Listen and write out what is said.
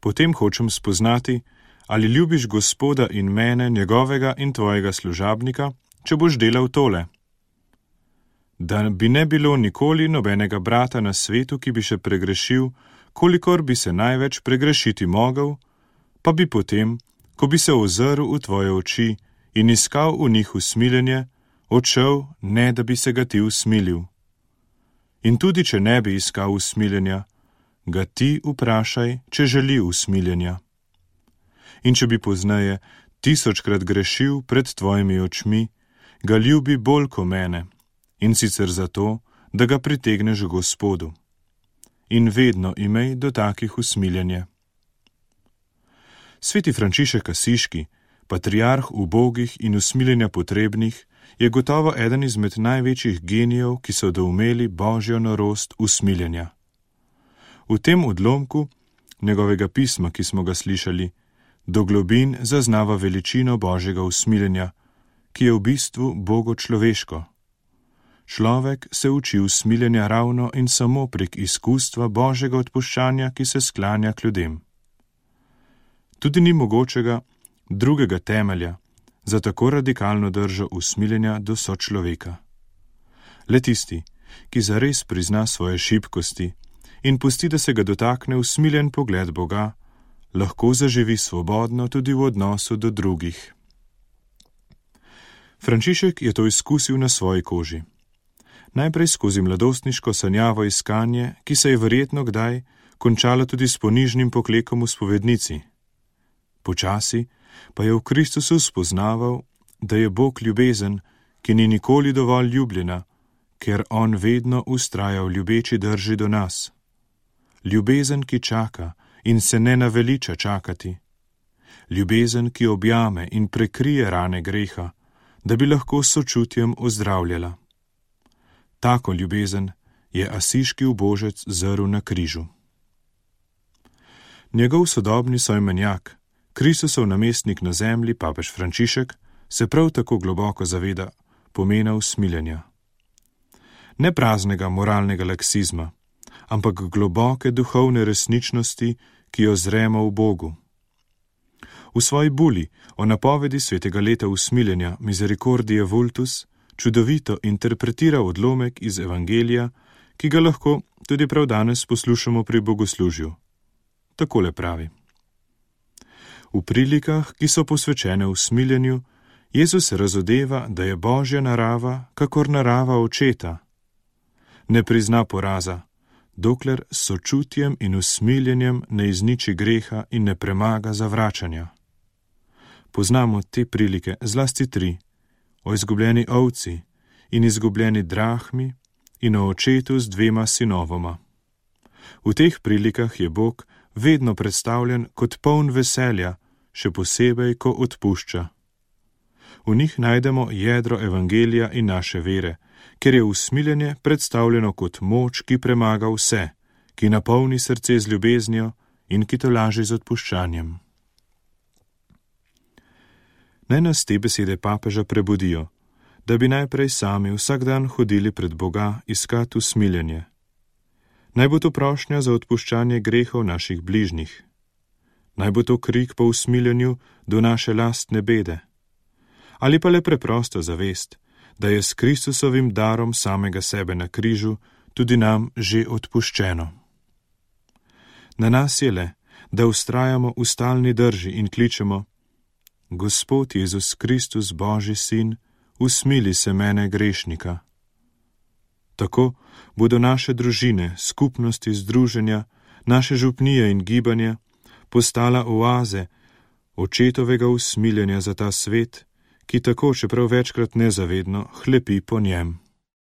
Potem hočem spoznati, ali ljubiš Gospoda in mene, njegovega in tvojega služabnika, če boš delal tole. Da bi ne bilo nikoli nobenega brata na svetu, ki bi še pregrešil, kolikor bi se največ pregrešiti mogel, pa bi potem, ko bi se ozrl v tvoje oči in iskal v njih usmiljenje, odšel, ne da bi se ga ti usmilil. In tudi, če ne bi iskal usmiljenja, ga ti vprašaj, če želi usmiljenja. In če bi pozneje 1000-krat grešil pred tvojimi očmi, ga ljubi bolj ko mene, in sicer zato, da ga pritegneš Gospodu. In vedno imej do takih usmiljenje. Sveti Frančišek Asiški, patriarh ubogih in usmiljenja potrebnih, je gotovo eden izmed največjih genijev, ki so doumeli božjo norost usmiljenja. V tem odlomku njegovega pisma, ki smo ga slišali, do globin zaznava veličino božjega usmiljenja, ki je v bistvu bogočloveško. Človek se uči usmiljenja ravno in samo prek izkustva božjega odpuščanja, ki se sklanja k ljudem. Tudi ni mogočega drugega temelja za tako radikalno držo usmiljenja do sočloveka. Le tisti, ki zares prizna svoje šibkosti in pusti, da se ga dotakne usmiljen pogled Boga, lahko zaživi svobodno tudi v odnosu do drugih. Frančišek je to izkusil na svoji koži. Najprej skozi mladostniško sanjavo iskanje, ki se je verjetno kdaj končalo tudi s ponižnim poklekom v spovednici. Počasi pa je v Kristusu spoznaval, da je Bog ljubezen, ki ni nikoli dovolj ljubljena, ker on vedno vztraja v ljubeči drži do nas. Ljubezen, ki čaka in se ne naveliča čakati. Ljubezen, ki objame in prekrije rane greha, da bi lahko s sočutjem ozdravljala. Tako ljubezen je asiški ubožec zrl na križu. Njegov sodobni soimenjak, Kristusov namestnik na zemlji, papež Frančišek, se prav tako globoko zaveda pomena usmiljenja. Ne praznega moralnega laksizma, ampak globoke duhovne resničnosti, ki jo zremo v Bogu. V svoji buli o napovedi svetega leta usmiljenja Misericordie Vultus čudovito interpretira odlomek iz Evangelija, ki ga lahko tudi prav danes poslušamo pri bogoslužju. Takole pravi. V prilikah, ki so posvečene usmiljenju, Jezus razodeva, da je božja narava, kakor narava očeta. Ne prizna poraza, dokler s sočutjem in usmiljenjem ne izniči greha in ne premaga zavračanja. Poznamo te prilike, zlasti 3, o izgubljeni ovci in izgubljeni drahmi in o očetu z 2 sinovoma. V teh prilikah je Bog vedno predstavljen kot poln veselja, še posebej, ko odpušča. V njih najdemo jedro Evangelija in naše vere, ker je usmiljenje predstavljeno kot moč, ki premaga vse, ki napolni srce z ljubeznijo in ki tolaži z odpuščanjem. Naj nas te besede papeža prebudijo, da bi najprej sami vsak dan hodili pred Boga iskat usmiljenje. Naj bo to prošnja za odpuščanje grehov naših bližnjih. Naj bo to krik po usmiljenju do naše lastne bede. Ali pa le preprosta zavest, da je s Kristusovim darom samega sebe na križu tudi nam že odpuščeno. Na nas je le, da vztrajamo v stalni drži in kličemo: Gospod Jezus Kristus, Božji sin, usmili se mene grešnika. Tako bodo naše družine, skupnosti, združenja, naše župnije in gibanja postala oaze očetovega usmiljenja za ta svet, ki tako, čeprav večkrat nezavedno, hlepi po njem.